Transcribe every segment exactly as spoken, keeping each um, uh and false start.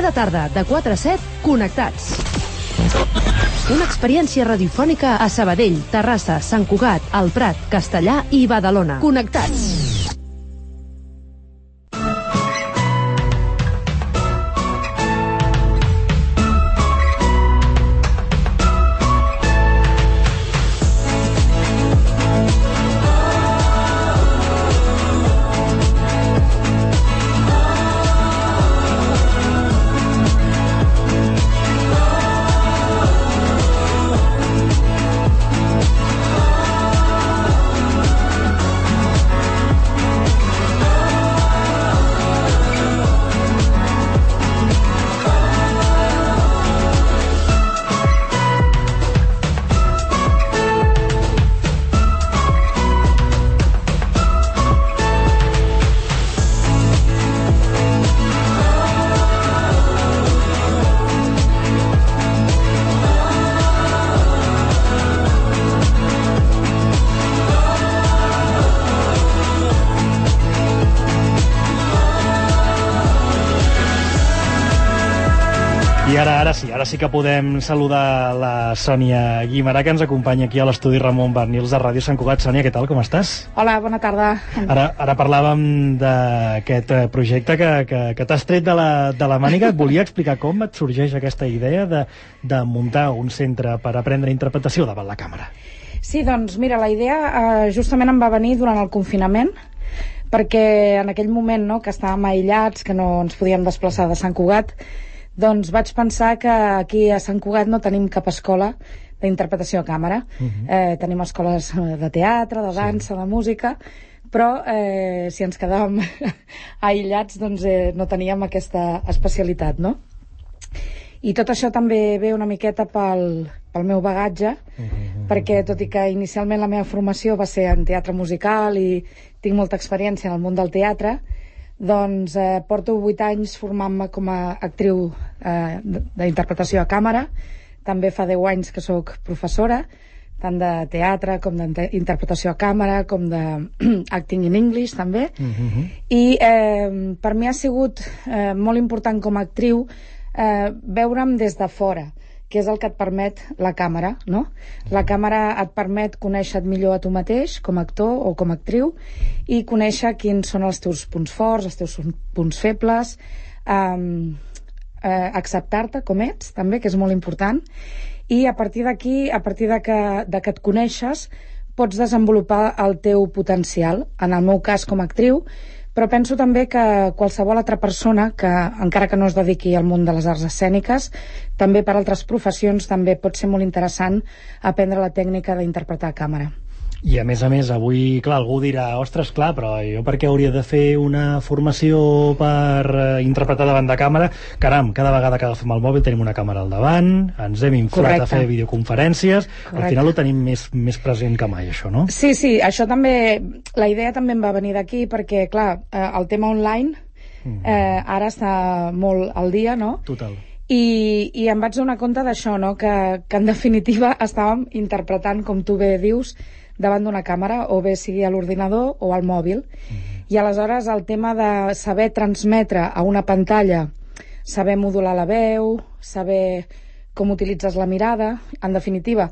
Cada tarda, de quatre a set, Connectats. Una experiència radiofònica a Sabadell, Terrassa, Sant Cugat, El Prat, Castellà i Badalona. Connectats. I ara, ara sí, ara sí que podem saludar la Sònia Guimarà, que ens acompanya aquí a l'estudi Ramon Barnils de Ràdio Sant Cugat. Sònia, què tal, com estàs? Hola, bona tarda. Ara, ara parlàvem d'aquest projecte que, que, que t'has tret de la, de la màniga. Et volia explicar com et sorgeix aquesta idea de, de muntar un centre per aprendre interpretació davant la càmera. Sí, doncs mira, la idea eh, justament em va venir durant el confinament, perquè en aquell moment, no, que estàvem aïllats, que no ens podíem desplaçar de Sant Cugat, doncs vaig pensar que aquí a Sant Cugat no tenim cap escola d'interpretació a càmera. Uh-huh. eh, tenim escoles de teatre, de dansa, sí, de música, però eh, si ens quedàvem aïllats doncs eh, no teníem aquesta especialitat, no? I tot això també ve una miqueta pel, pel meu bagatge, uh-huh, perquè tot i que inicialment la meva formació va ser en teatre musical i tinc molta experiència en el món del teatre, doncs eh, porto vuit anys formant-me com a actriu eh, d'interpretació a càmera. També fa deu anys que sóc professora, tant de teatre com d'interpretació a càmera, com d'acting in English també. Uh-huh. I eh, per mi ha sigut eh, molt important com a actriu eh, veure'm des de fora, que és el que et permet la càmera, no? La càmera et permet conèixer-te millor a tu mateix, com a actor o com a actriu, i conèixer quins són els teus punts forts, els teus punts febles, um, eh, acceptar-te com ets, també, que és molt important, i a partir d'aquí, a partir de que, de que et coneixes, pots desenvolupar el teu potencial, en el meu cas com a actriu, però penso també que qualsevol altra persona que, encara que no es dediqui al món de les arts escèniques, també per altres professions també pot ser molt interessant aprendre la tècnica d'interpretar a càmera. I a més a més, avui, clar, algú dirà, ostres, clar, però jo per què hauria de fer una formació per uh, interpretar davant de càmera? Caram, cada vegada que agafem el mòbil tenim una càmera al davant, ens hem inflat Correcte. A fer videoconferències, Correcte. Al final ho tenim més, més present que mai, això, no? Sí, sí, això també, la idea també em va venir d'aquí, perquè, clar, eh, el tema online eh, ara està molt al dia, no? Total. I, i em vaig donar compte d'això, no? Que, que en definitiva estàvem interpretant, com tu bé dius, davant d'una càmera, o bé sigui a l'ordinador o al mòbil. Mm-hmm. I aleshores el tema de saber transmetre a una pantalla, saber modular la veu, saber com utilitzes la mirada, en definitiva,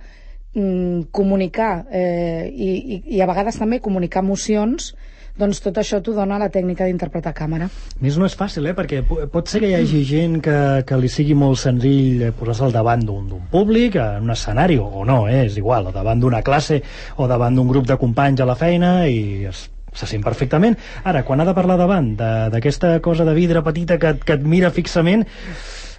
mm, comunicar eh, i, i, i a vegades també comunicar emocions, doncs tot això t'ho dona la tècnica d'interpretar a càmera. Més no és fàcil, eh? Perquè pot ser que hi hagi gent que, que li sigui molt senzill posar-se al davant d'un públic, en un escenari, o no, eh? És igual, o davant d'una classe o davant d'un grup de companys a la feina, i es, se sent perfectament. Ara, quan ha de parlar davant d'aquesta cosa de vidre petita que, que et mira fixament,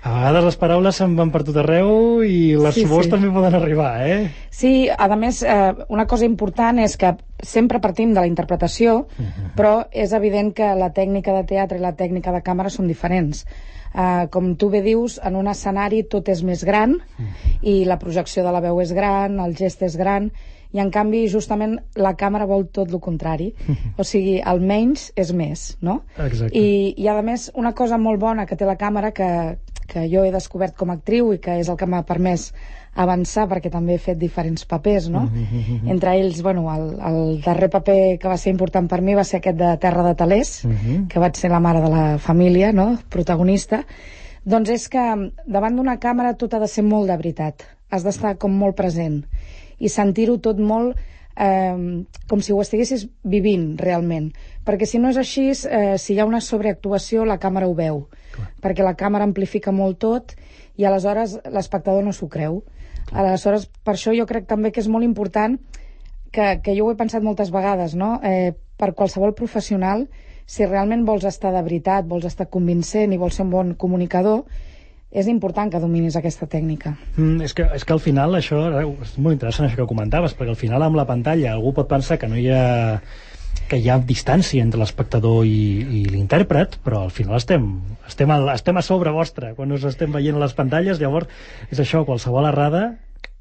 a vegades les paraules se'n van per tot arreu i les sí, suors sí. també poden arribar, eh? Sí, a més, eh, una cosa important és que sempre partim de la interpretació, uh-huh. però és evident que la tècnica de teatre i la tècnica de càmera són diferents. Uh, com tu bé dius, en un escenari tot és més gran, uh-huh. i la projecció de la veu és gran, el gest és gran, i en canvi justament la càmera vol tot el contrari, uh-huh. o sigui, el menys és més, no? Exacte. I, i a més, una cosa molt bona que té la càmera, que, que jo he descobert com a actriu i que és el que m'ha permès avançar, perquè també he fet diferents papers, no? Uh-huh. Entre ells, bueno, el, el darrer paper que va ser important per mi va ser aquest de Terra de Talers, uh-huh. que vaig ser la mare de la família, no?, protagonista. Doncs és que davant d'una càmera tot ha de ser molt de veritat. Has d'estar com molt present i sentir-ho tot molt eh, com si ho estiguessis vivint realment. Perquè si no és així, eh, si hi ha una sobreactuació, la càmera ho veu. Clar. Perquè la càmera amplifica molt tot i aleshores l'espectador no s'ho creu. Clar. Aleshores, per això jo crec també que és molt important, que, que jo ho he pensat moltes vegades, no? Eh, per qualsevol professional, si realment vols estar de veritat, vols estar convincent i vols ser un bon comunicador, és important que dominis aquesta tècnica. Mm, és, que, és que al final això és molt interessant això que comentaves, perquè al final amb la pantalla algú pot pensar que no hi ha que hi ha distància entre l'espectador i, i l'intèrpret, però al final estem, estem, a, estem a sobre vostre quan us estem veient a les pantalles. Llavors és això, qualsevol errada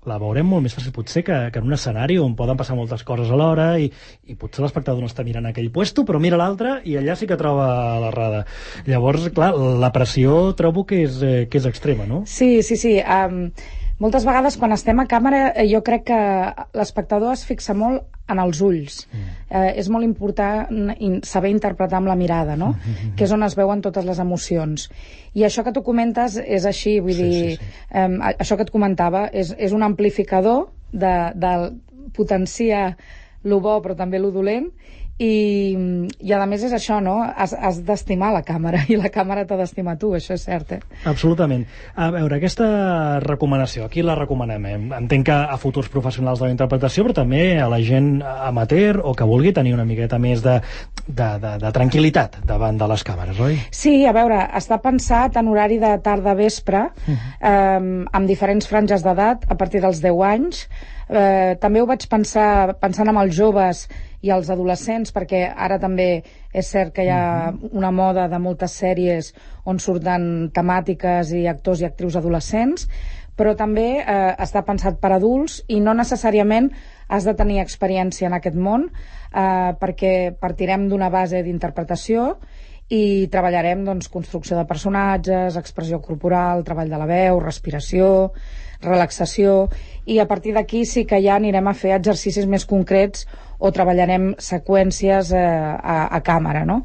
la veurem molt més fàcil potser que, que en un escenari on poden passar moltes coses alhora i, i potser l'espectador no està mirant aquell puesto però mira l'altre i allà sí que troba l'errada. Llavors, clar, la pressió trobo que és, eh, que és extrema, no? Sí, sí, sí. Um, moltes vegades quan estem a càmera jo crec que l'espectador es fixa molt en els ulls. Mm. Eh, és molt important saber interpretar amb la mirada, no? Mm-hmm. Que és on es veuen totes les emocions. I això que tu comentes és així, vull sí, dir, sí, sí. Eh, això que et comentava és, és un amplificador de, de potenciar lo bo però també lo dolent i, i a més és això, no? Has, has d'estimar la càmera i la càmera t'ha d'estimar tu, això és cert, eh? Absolutament. A veure, aquesta recomanació, aquí la recomanem, eh? Entenc que a futurs professionals de la interpretació, però també a la gent amateur o que vulgui tenir una miqueta més de, de, de, de tranquil·litat davant de les càmeres, oi? Sí, a veure, està pensat en horari de tarda-vespre, uh-huh. eh, amb diferents franges d'edat, a partir dels deu anys. Eh, també ho vaig pensar pensant en els joves i els adolescents, perquè ara també és cert que hi ha una moda de moltes sèries on surten temàtiques i actors i actrius adolescents, però també eh, està pensat per adults i no necessàriament has de tenir experiència en aquest món, eh, perquè partirem d'una base d'interpretació i treballarem doncs, construcció de personatges, expressió corporal, treball de la veu, respiració, relaxació, i a partir d'aquí sí que ja anirem a fer exercicis més concrets o treballarem seqüències eh, a, a càmera, no?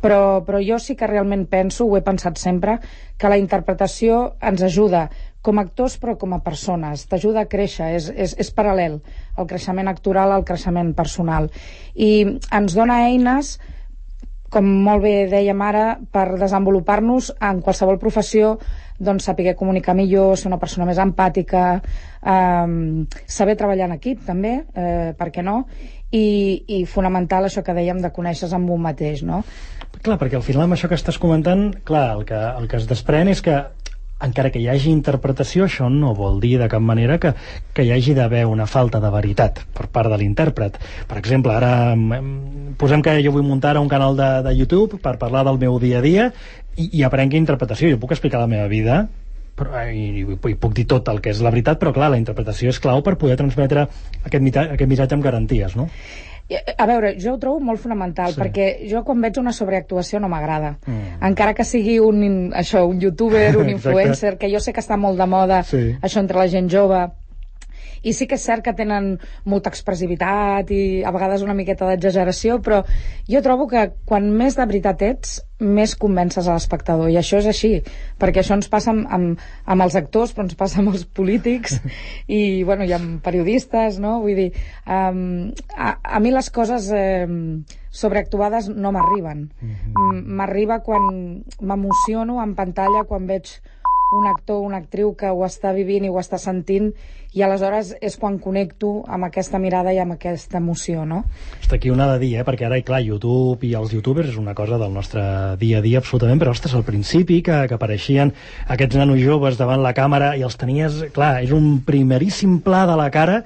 Però, però jo sí que realment penso, ho he pensat sempre, que la interpretació ens ajuda com a actors però com a persones, t'ajuda a créixer, és, és, és paral·lel el creixement actoral al creixement personal i ens dona eines, com molt bé dèiem ara, per desenvolupar-nos en qualsevol professió, doncs saber comunicar millor, ser una persona més empàtica, eh, saber treballar en equip també, eh, per què no? I, i fonamental això que dèiem de conèixer-se amb un mateix, no? Clar, perquè al final amb això que estàs comentant, clar, el que, el que es desprèn és que encara que hi hagi interpretació, això no vol dir de cap manera que, que hi hagi d'haver una falta de veritat per part de l'intèrpret. Per exemple, ara posem que jo vull muntar un canal de, de YouTube per parlar del meu dia a dia i, i aprenc interpretació. Jo puc explicar la meva vida però, i, i, i puc dir tot el que és la veritat, però clar, la interpretació és clau per poder transmetre aquest, mita, aquest missatge amb garanties, no? A veure, jo ho trobo molt fonamental, sí. Perquè jo quan veig una sobreactuació no m'agrada. Mm. Encara que sigui un, això, un youtuber, un influencer, que jo sé que està molt de moda, sí. Això entre la gent jove, i sí que és cert que tenen molta expressivitat i a vegades una miqueta d'exageració, però jo trobo que quan més de veritat ets, més convences a l'espectador, i això és així, perquè això ens passa amb, amb, amb els actors, però ens passa amb els polítics i, bueno, i amb periodistes, no? Vull dir, um, a, a mi les coses eh, sobreactuades no m'arriben. Mm-hmm. M'arriba quan m'emociono en pantalla, quan veig un actor o una actriu que ho està vivint i ho està sentint, i aleshores és quan connecto amb aquesta mirada i amb aquesta emoció, no? Està aquí una de dir, eh? Perquè ara, clar, YouTube i els youtubers és una cosa del nostre dia a dia absolutament, però, ostres, al principi que, que apareixien aquests nanos joves davant la càmera i els tenies, clar, és un primeríssim pla de la cara,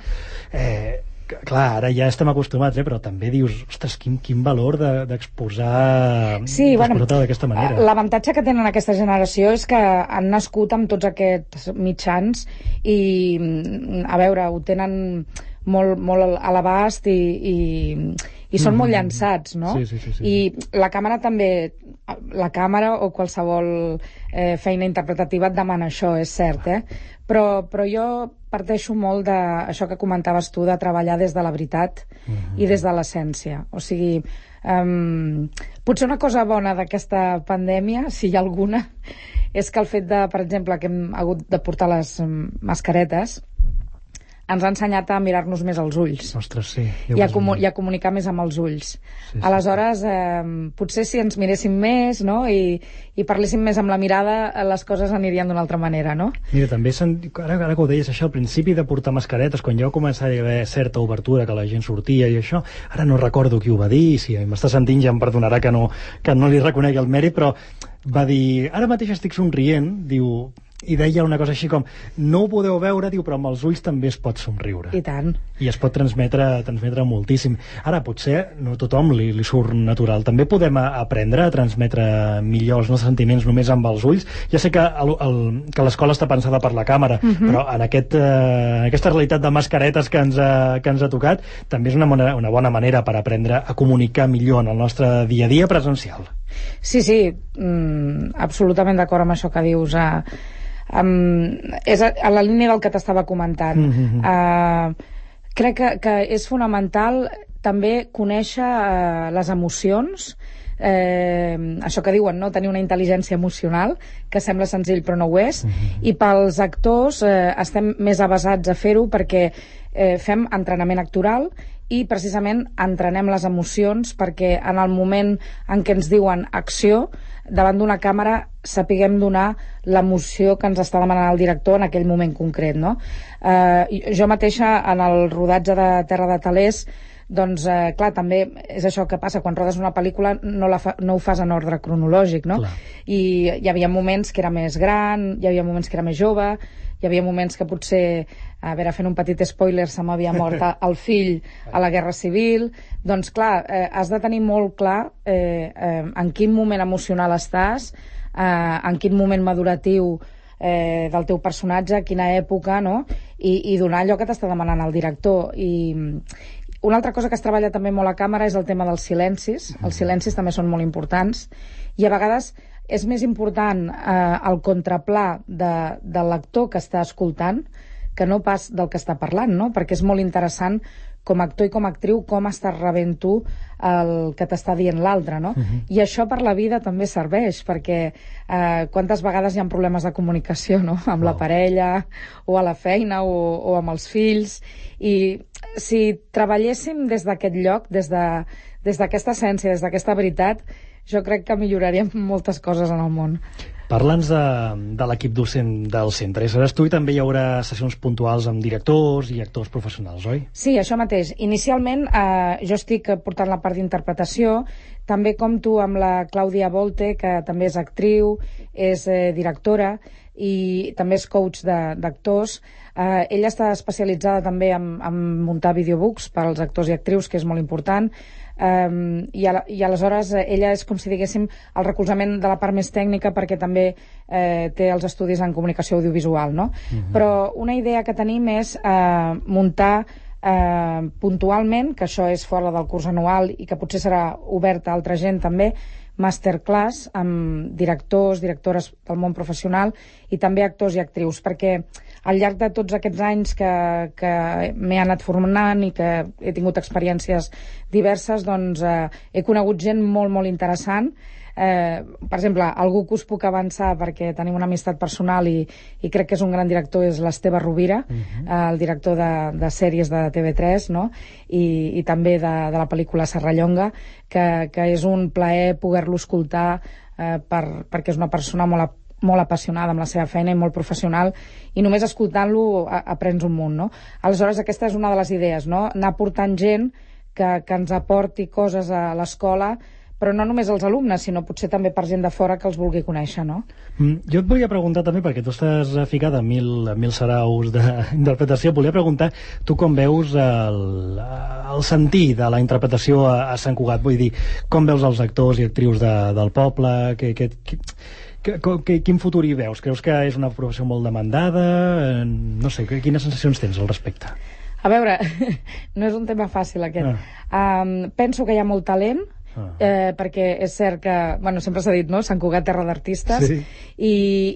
eh, clar, ara ja estem acostumats, eh, però també dius, ostres, quin, quin valor d'exposar de, sí, bueno, d'aquesta manera. L'avantatge que tenen aquesta generació és que han nascut amb tots aquests mitjans i, a veure, ho tenen molt, molt a l'abast i, i, i són mm-hmm. molt llançats, no? Sí, sí, sí, sí. I la càmera també, la càmera o qualsevol eh, feina interpretativa et demana això, és cert, eh? Però, però jo parteixo molt d'això que comentaves tu, de treballar des de la veritat mm-hmm. i des de l'essència. O sigui, um, potser una cosa bona d'aquesta pandèmia, si hi ha alguna, és que el fet de, per exemple, que hem hagut de portar les mascaretes ens ha ensenyat a mirar-nos més als ulls. Ostres, sí. I a, comu i a comunicar més amb els ulls. Sí, sí. Aleshores, eh, potser si ens miréssim més, no?, i, i parléssim més amb la mirada, les coses anirien d'una altra manera, no? Mira, també, ara, ara que ho deies, això, al principi de portar mascaretes, quan ja va començar a haver certa obertura, que la gent sortia i això, ara no recordo qui ho va dir, si m'està sentint ja em perdonarà que no, que no li reconegui el mèrit, però va dir, ara mateix estic somrient, diu, i deia una cosa així com, no ho podeu veure, diu, però amb els ulls també es pot somriure. I tant. I es pot transmetre, transmetre moltíssim. Ara, potser no a tothom li, li surt natural. També podem a, aprendre a transmetre millor els nostres sentiments només amb els ulls. Ja sé que, el, el, que l'escola està pensada per la càmera, uh-huh. però en, aquest, eh, en aquesta realitat de mascaretes que ens ha, que ens ha tocat, també és una, bona, una bona manera per aprendre a comunicar millor en el nostre dia a dia presencial. Sí, sí, mm, absolutament d'acord amb això que dius. Eh, um, és a, a la línia del que t'estava comentant. Mm-hmm. uh, crec que, que és fonamental també conèixer uh, les emocions, eh, això que diuen, no? Tenir una intel·ligència emocional, que sembla senzill però no ho és, mm-hmm. i pels actors eh, estem més avasats a fer-ho perquè eh, fem entrenament actoral i precisament entrenem les emocions perquè en el moment en què ens diuen acció, davant d'una càmera sapiguem donar l'emoció que ens està demanant el director en aquell moment concret, no? Eh, jo mateixa en el rodatge de Terra de Talers, doncs, eh, clar, també és això que passa quan rodes una pel·lícula, no, la fa, no ho fas en ordre cronològic, no? Clar. I hi havia moments que era més gran, hi havia moments que era més jove, hi havia moments que potser, a veure, fent un petit spoiler, se m'havia mort el fill a la Guerra Civil. Doncs clar, eh, has de tenir molt clar eh, eh, en quin moment emocional estàs, eh, en quin moment maduratiu eh, del teu personatge, quina època, no? I, i donar allò que t'està demanant el director. I una altra cosa que es treballa també molt a càmera és el tema dels silencis. Els silencis també són molt importants i a vegades és més important eh, el contraplà de, de l'actor que està escoltant que no pas del que està parlant, no? Perquè és molt interessant com a actor i com a actriu com estàs rebent tu el que t'està dient l'altre, no? Uh-huh. I això per la vida també serveix, perquè eh, quantes vegades hi ha problemes de comunicació, no? Amb wow. la parella, o a la feina, o, o amb els fills, i si treballéssim des d'aquest lloc, des de, des d'aquesta essència, des d'aquesta veritat, jo crec que milloraríem moltes coses en el món. Parla'ns de, de l'equip docent del centre. I seràs tu i també hi haurà sessions puntuals amb directors i actors professionals, oi? Sí, això mateix. Inicialment eh, jo estic portant la part d'interpretació, també compto amb la Clàudia Volte, que també és actriu, és eh, directora i també és coach d'actors. Eh, ella està especialitzada també en, en muntar videobooks per als actors i actrius, que és molt important. Um, i, a, i aleshores eh, ella és com si diguéssim el recolzament de la part més tècnica perquè també eh, té els estudis en comunicació audiovisual, no? Uh-huh. Però una idea que tenim és eh, muntar eh, puntualment, que això és fora del curs anual i que potser serà obert a altra gent també, masterclass amb directors, directores del món professional i també actors i actrius, perquè al llarg de tots aquests anys que, que m'he anat formant i que he tingut experiències diverses, doncs eh, he conegut gent molt, molt interessant. Eh, per exemple, algú que us puc avançar perquè tenim una amistat personal i, i crec que és un gran director, és l'Esteve Rovira, uh-huh. eh, el director de, de sèries de T V tres, no? I, i també de, de la pel·lícula Serrallonga, que, que és un plaer poder-lo escoltar eh, per, perquè és una persona molt, molt apassionada amb la seva feina i molt professional, i només escoltant-lo aprens un munt, no? Aleshores, aquesta és una de les idees, no? Anar portant gent que, que ens aporti coses a l'escola, però no només els alumnes, sinó potser també per gent de fora que els vulgui conèixer, no? Mm, jo et volia preguntar també, perquè tu estàs ficada en mil, mil saraus d'interpretació, volia preguntar tu com veus el, el sentir de la interpretació a, a Sant Cugat, vull dir, com veus els actors i actrius de, del poble, que, que, que, que, que, quin futur hi veus? Creus que és una professió molt demandada? No sé, quines sensacions tens al respecte? A veure, no és un tema fàcil aquest. Ah. Um, penso que hi ha molt talent, Eh, perquè és cert que, bueno, sempre s'ha dit, no? Sant Cugat, terra d'artistes, sí. i,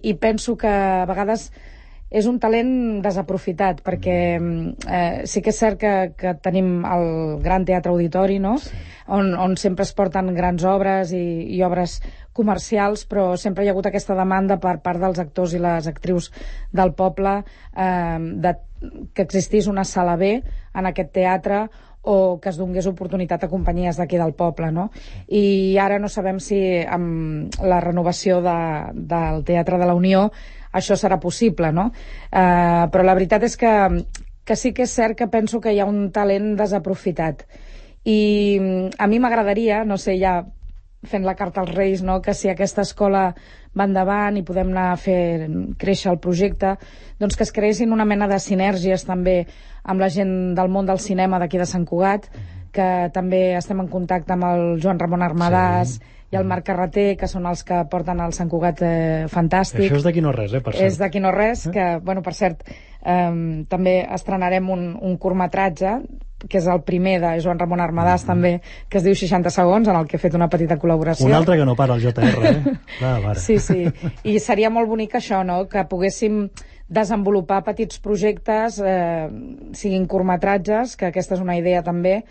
i penso que a vegades és un talent desaprofitat, perquè eh, sí que és cert que, que tenim el Gran Teatre Auditori, no? Sí. On, on sempre es porten grans obres i, i obres comercials, però sempre hi ha hagut aquesta demanda per part dels actors i les actrius del poble eh, de, que existís una sala B en aquest teatre o que es donés oportunitat a companyies d'aquí del poble, no? I ara no sabem si amb la renovació de, del Teatre de la Unió això serà possible, no? Eh, però la veritat és que, que sí que és cert que penso que hi ha un talent desaprofitat. I a mi m'agradaria, no sé, ja fent la carta als Reis, no?, que si aquesta escola va endavant i podem anar a fer créixer el projecte, doncs que es creessin una mena de sinergies també amb la gent del món del cinema d'aquí de Sant Cugat, que també estem en contacte amb el Joan Ramon Armadàs sí. i el Marc Carreter, que són els que porten el Sant Cugat eh, Fantàstic. Això és d'aquí no res, eh, per cert. És d'aquí no res, eh? que, bueno, per cert, eh, també estrenarem un, un curtmetratge que és el primer de Joan Ramon Armadàs, mm -hmm. també, que es diu seixanta segons, en el que he fet una petita col·laboració. Un altre que no para, el J R, eh? Clar, mare. Sí, sí. I seria molt bonic això, no?, que poguéssim desenvolupar petits projectes, eh, siguin curtmetratges, que aquesta és una idea també,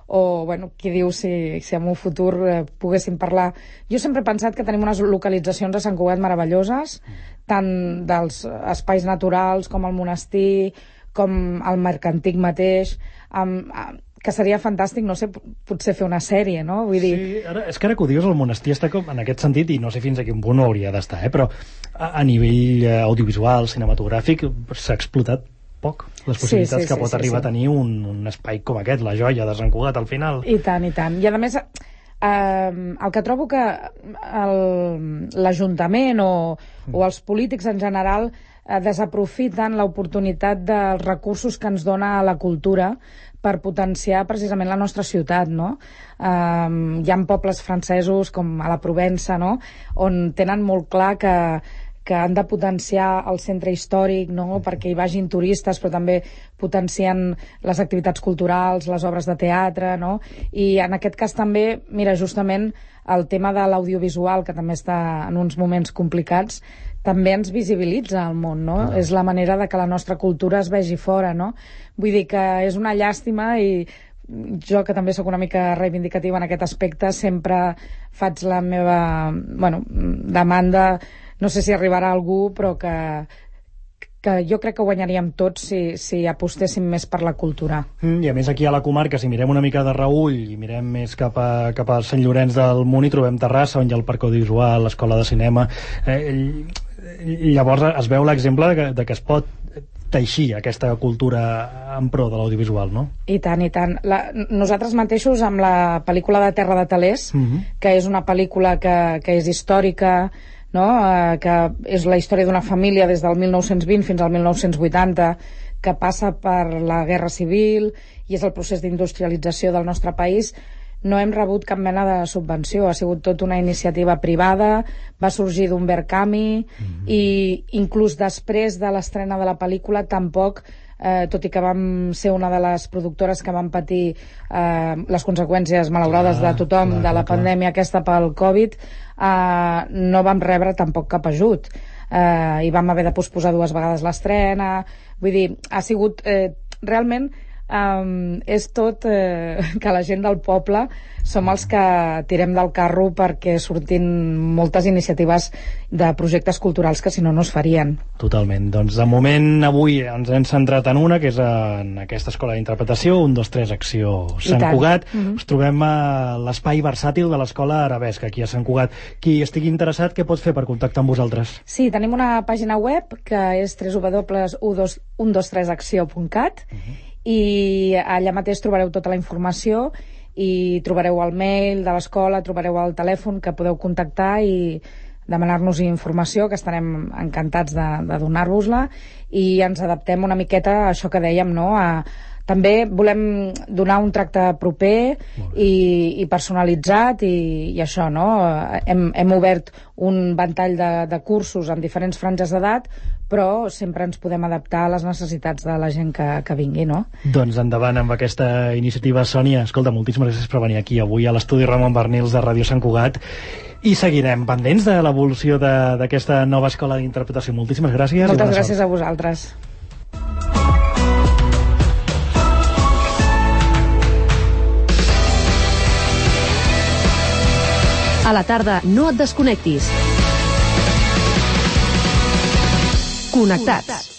o, bueno, qui diu si, si en un futur eh, poguéssim parlar. Jo sempre he pensat que tenim unes localitzacions a Sant Cugat meravelloses, tant dels espais naturals com el monestir, com el mercantic mateix, amb, amb, que seria fantàstic, no sé, potser fer una sèrie, no? Vull dir... Sí, ara, és que ara que ho dius, el monestir està com en aquest sentit, i no sé fins a quin punt hauria d'estar, eh? Però a, a nivell eh, audiovisual, cinematogràfic, s'ha explotat poc les possibilitats sí, sí, que pot sí, arribar sí. a tenir un, un espai com aquest, la joia de Sant Cugat, al final. I tant, i tant. I a més, eh, el que trobo que l'Ajuntament o, o els polítics en general eh, desaprofiten l'oportunitat dels recursos que ens dona la cultura per potenciar precisament la nostra ciutat, no? Um, hi ha pobles francesos com a la Provença, no?, on tenen molt clar que, que han de potenciar el centre històric, no?, perquè hi vagin turistes, però també potencien les activitats culturals, les obres de teatre, no? I en aquest cas també, mira, justament el tema de l'audiovisual, que també està en uns moments complicats, també ens visibilitza al món, no? Ah. És la manera de que la nostra cultura es vegi fora, no? Vull dir que és una llàstima i jo, que també sóc una mica reivindicativa en aquest aspecte, sempre faig la meva, bueno, demanda, no sé si arribarà algú, però que, que jo crec que guanyaríem tots si, si apostéssim més per la cultura. Mm, I a més aquí a la comarca, si mirem una mica de reull i mirem més cap a, cap a Sant Llorenç del Munt, hi trobem Terrassa, on hi ha el Parc Audiovisual, l'Escola de Cinema. Eh, llavors es veu l'exemple de, que, de que es pot teixir aquesta cultura en pro de l'audiovisual, no? I tant, i tant. La, nosaltres mateixos amb la pel·lícula de Terra de Talers, uh-huh. que és una pel·lícula que, que és històrica, no? eh, que és la història d'una família des del mil nou-cents vint fins al mil nou-cents vuitanta, que passa per la Guerra Civil i és el procés d'industrialització del nostre país. No hem rebut cap mena de subvenció, ha sigut tot una iniciativa privada, va sorgir d'un Verkami, mm-hmm. i inclús després de l'estrena de la pel·lícula tampoc, eh, tot i que vam ser una de les productores que van patir eh, les conseqüències malaurades clar, de tothom clar, de la clar, pandèmia clar. aquesta pel Covid, eh, no vam rebre tampoc cap ajut. Eh, i vam haver de posposar dues vegades l'estrena. Vull dir, ha sigut eh, realment... Um, és tot eh, que la gent del poble som els que tirem del carro perquè surtin moltes iniciatives de projectes culturals que si no no es farien. Totalment. Doncs de moment avui ens hem centrat en una, que és en aquesta escola d'interpretació, un, dos, tres, acció Sant Cugat. Mm-hmm. Us trobem a l'espai versàtil de l'escola Arabesca, aquí a Sant Cugat. Qui estigui interessat, què pot fer per contactar amb vosaltres? Sí, tenim una pàgina web que és w w w punt un dos tres acció punt cat, mm-hmm. i allà mateix trobareu tota la informació i trobareu el mail de l'escola, trobareu el telèfon que podeu contactar i demanar-nos informació, que estarem encantats de, de donar-vos-la, i ens adaptem una miqueta a això que dèiem, no? A, també volem donar un tracte proper i, i personalitzat i, i això, no? Hem, hem obert un ventall de, de cursos en diferents franges d'edat, però sempre ens podem adaptar a les necessitats de la gent que, que vingui, no? Doncs endavant amb aquesta iniciativa, Sònia. Escolta, moltíssimes gràcies per venir aquí avui a l'estudi Ramon Barnils de Ràdio Sant Cugat, i seguirem pendents de l'evolució d'aquesta nova escola d'interpretació. Moltíssimes gràcies. Moltes gràcies a vosaltres. A la tarda no et desconnectis. Connectats.